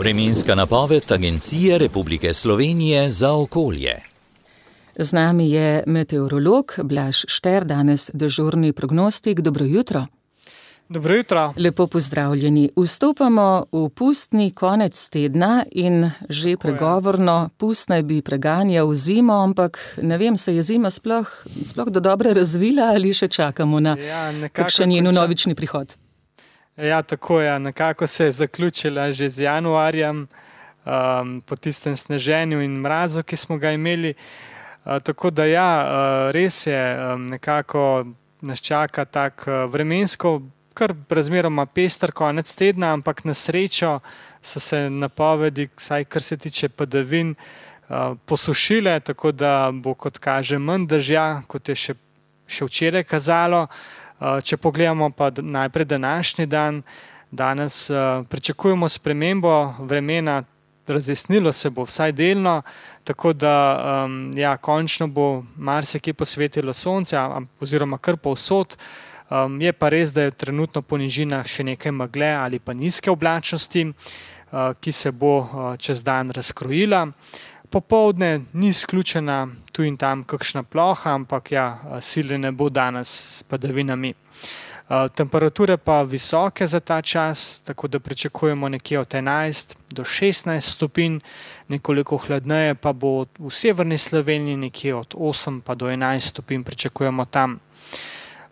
Vremenska napoved Agencije Republike Slovenije za okolje. Z nami je meteorolog Blaž Šter, danes dežurni prognostik. Dobro jutro. Dobro jutro. Lepo pozdravljeni. Vstopamo v pustni konec tedna in že pregovorno pust naj bi preganjal zimo, ampak ne vem, se je zima sploh do dobre razvila ali še čakamo na kakšen njen vnovični prihod? Ja, tako je. Nekako se je zaključila že z januarjem, po tistem sneženju in mrazu, ki smo ga imeli. Tako da ja, res je, nekako nas čaka tak vremensko kar razmeroma pester konec tedna, ampak na srečo so se napovedi, vsaj kar se tiče padavin, posušile, tako da bo, kot kaže, manj dežja, kot je še včeraj kazalo. Če pogledamo pa najprej današnji dan, danes pričakujemo spremembo vremena, razjasnilo se bo vsaj delno, tako da ja, končno bo marsikje posvetilo sonce, oziroma kar povsod. Je pa res, da je trenutno po nižinah še nekaj megle ali pa nizke oblačnosti, ki se bo čez dan razkrojila. Popoldne ni izključena tu in tam kakšna ploha, ampak ja, sile ne bo danes s padavinami. Temperature pa visoke za ta čas, tako da pričakujemo nekje od 11 do 16 stopinj, nekoliko hladneje pa bo v severni Sloveniji, nekje od 8 pa do 11 stopinj pričakujemo tam.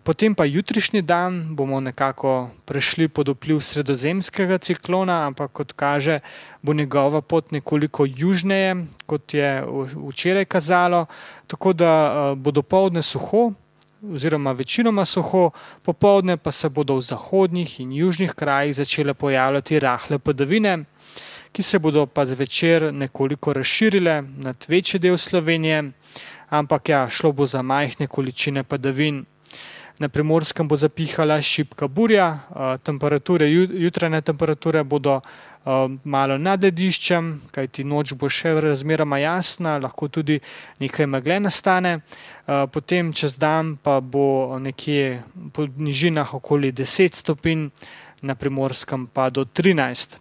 Potem pa jutrišnji dan bomo nekako prešli pod vpliv sredozemskega ciklona, ampak kot kaže, bo njegova pot nekoliko južneje, kot je včeraj kazalo, tako da bo dopoldne suho, oziroma večinoma suho, popoldne pa se bodo v zahodnih in južnih krajih začele pojavljati rahle padavine, ki se bodo pa zvečer nekoliko razširile nad večji del Slovenije, ampak ja, šlo bo za majhne količine padavin. Na Primorskem bo zapihala šibka burja, jutranje temperature bodo malo nad lediščem, kajti noč bo še razmeroma jasna, lahko tudi nekaj megle nastane. Potem čez dan pa bo nekje po nižinah okoli 10 stopinj, na Primorskem pa do 13.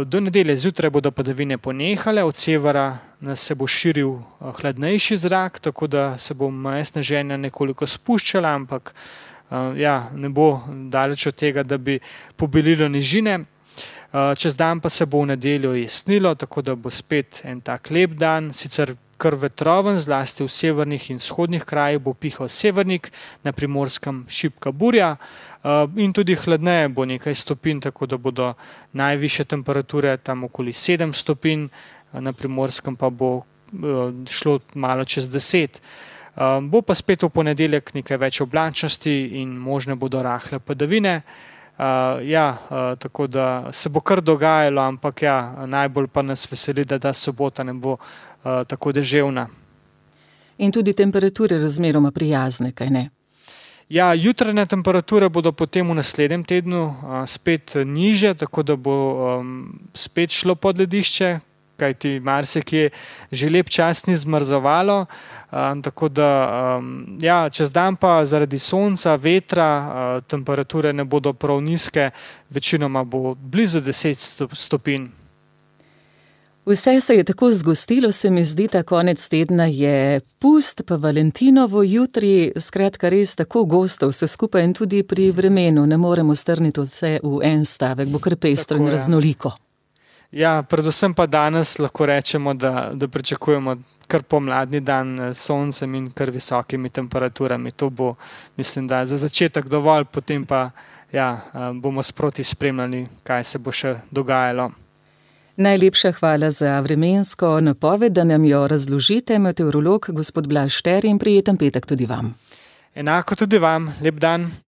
Do nedelje zjutraj bodo padavine ponehale, od severa se bo širil hladnejši zrak, tako da se bo meja sneženja nekoliko spuščala, ampak ja, ne bo daleč od tega, da bi pobelilo nižine. Čez dan pa se bo v nedeljo jesnilo, tako da bo spet en tak lep dan, sicer kar vetroven, zlasti v severnih in vzhodnih krajih bo pihal severnik, na Primorskem šibka burja in tudi hladneje bo nekaj stopinj, tako da bodo najvišje temperature tam okoli 7 stopinj, na Primorskem pa bo šlo malo čez 10. Bo pa spet v ponedeljek nekaj več oblačnosti in možne bodo rahle padavine. Tako da se bo kar dogajalo, ampak ja, najbolj pa nas veseli, da ta sobota ne bo tako deževna. In tudi temperature razmeroma prijazne, kaj ne? Ja, jutranje temperature bodo potem v naslednjem tednu spet nižje, tako da bo spet šlo pod ledišče, kajti marsikje že lep čas ni zmrzovalo, tako da ja, čez dan pa zaradi sonca, vetra, temperature ne bodo prav nizke, večinoma bo blizu 10 stopinj. Vse se je tako zgostilo, se mi zdi, ta konec tedna je pust, pa Valentinovo jutri, skratka res tako gosto vse skupaj in tudi pri vremenu ne moremo strniti vse v en stavek, bo kar pestro in raznoliko. Ja, predvsem pa danes lahko rečemo, da pričakujemo kar pomladni dan s soncem in kar visokimi temperaturami. To bo, mislim, da za začetek dovolj, potem pa ja, bomo sproti spremljali, kaj se bo še dogajalo. Najlepša hvala za vremensko napoved, da nam jo razložite, meteorolog gospod Blaž Šter, in prijeten petek tudi vam. Enako tudi vam, lep dan.